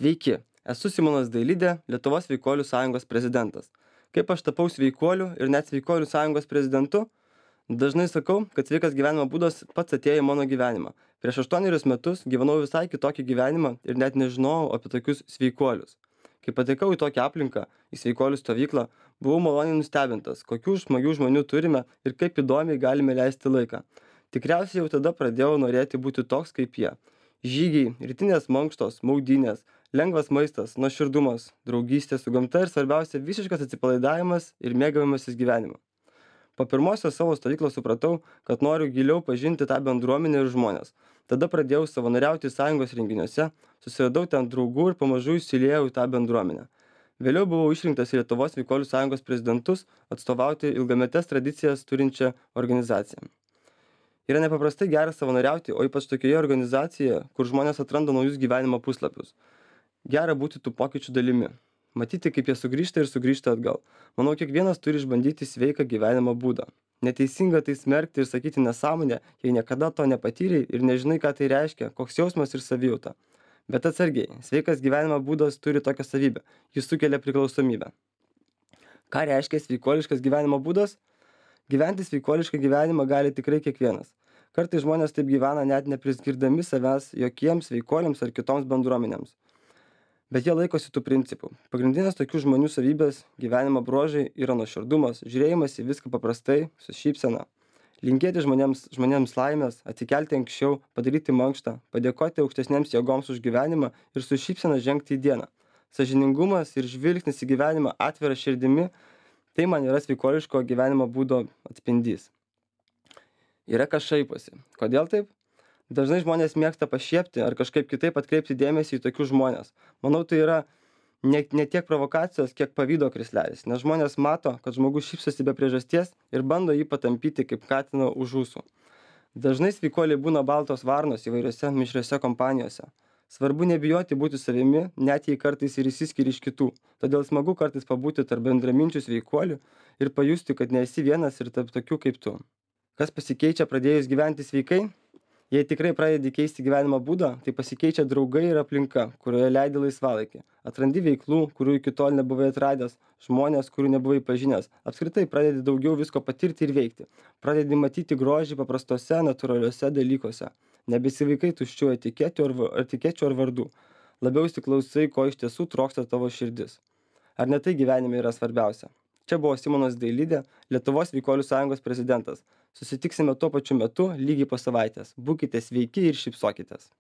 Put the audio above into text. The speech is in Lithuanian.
Sveiki, esu Simonas Dailidė, Lietuvos sveikuolių sąjungos prezidentas. Kaip aš tapau sveikuoliu ir net sveikuolių sąjungos prezidentu? Dažnai sakau, kad sveikas gyvenimo būdas pats atėjo į mano gyvenimą. Prieš 8 metus gyvenau visai kitokį gyvenimą ir net nežinojau apie tokius sveikuolius. Kai patekau į tokią aplinką, į sveikuolių stovyklą, buvau maloniai nustebintas, kokių smagių žmonių turime ir kaip įdomiai galime leisti laiką. Tikriausiai jau tada pradėjau norėti būti toks kaip jie. Žygiai, rytinės mankštos, maudynės, lengvas maistas, nuoširdumas, draugystė su gamta ir svarbiausia visiškas atsipalaidavimas ir mėgavimasis gyvenimu. Po pirmosios savo stovyklos supratau, kad noriu giliau pažinti tą bendruomenę ir žmonės. Tada pradėjau savanoriauti sąjungos renginiuose, susiradau ten draugų ir pamažu įsiliejau į tą bendruomenę. Vėliau buvau išrinktas į Lietuvos sveikuolių sąjungos prezidentus atstovauti ilgametes tradicijas turinčią organizaciją. Yra nepaprastai gera savanoriauti, o ypač tokioje organizacijoje, kur žmonės atranda naujus gyvenimo puslapius. Gera būti tų pokyčių dalimi. Matyti, kaip jie sugrįžta ir sugrįžta atgal. Manau, kiekvienas turi išbandyti sveiką gyvenimo būdą. Neteisinga tai smerkti ir sakyti nesąmonę, jei niekada to nepatyrei ir nežinai, ką tai reiškia, koks jausmas ir savijauta. Bet atsargiai, sveikas gyvenimo būdas turi tokią savybę. Jis sukelia priklausomybę. Ką reiškia sveikuoliškas gyvenimo būdas? Gyventi sveikuolišką gyvenimą gali tikrai kiekvienas. Kartais žmonės taip gyvena net nepriskirdami savęs jokiems sveikuoliams ar kitoms bendruomenėms. Bet jie laikosi tų principų. Pagrindinės tokių žmonių savybės gyvenimo bruožai yra nuoširdumas, žiūrėjimas į viską paprastai, su šypsena. Linkėti žmonėms laimės, atsikelti anksčiau, padaryti mankštą, padėkoti aukštesnėms jėgoms už gyvenimą ir su šypsena žengti į dieną. Sąžiningumas ir žvilgsnis į gyvenimą atvira širdimi – tai man yra sveikuoliško gyvenimo būdo atspindys. Yra kas šaiposi. Kodėl taip? Dažnai žmonės mėgsta pašiepti ar kažkaip kitaip atkreipti dėmesį į tokius žmonės. Manau, tai yra ne tiek provokacijos, kiek pavydo krislelis, nes žmonės mato, kad žmogus šypsosi be priežasties ir bando jį patampyti kaip katino už ūsų. Dažnai sveikuoliai būna baltos varnos įvairiose mišriose kompanijose. Svarbu nebijoti būti savimi, net jei kartais ir išsiskiri iš kitų. Todėl smagu kartais pabūti tarp bendraminčių sveikuolių ir pajusti, kad nesi vienas ir tarp tokių kaip tu. Kas pasikeičia pradėjus gyventi sveikai? Jei tikrai pradedi keisti gyvenimo būdą, tai pasikeičia draugai ir aplinka, kurioje leidi laisvalaikį. Atrandi veiklų, kurių iki tol nebuvai atradęs, žmonės, kurių nebuvai pažinęs. Apskritai pradedi daugiau visko patirti ir veikti. Pradedi matyti grožį paprastose, natūraliuose dalykuose. Nebesivaikai tuščių etikečių ar vardų. Labiau įsiklausai, ko iš tiesų trokšta tavo širdis. Ar ne tai gyvenime yra svarbiausia? Čia buvo Simonas Dailidė, Lietuvos sveikuolių sąjungos prezidentas. Susitiksime tuo pačiu metu lygiai po savaitės. Būkite sveiki ir šypsokitės.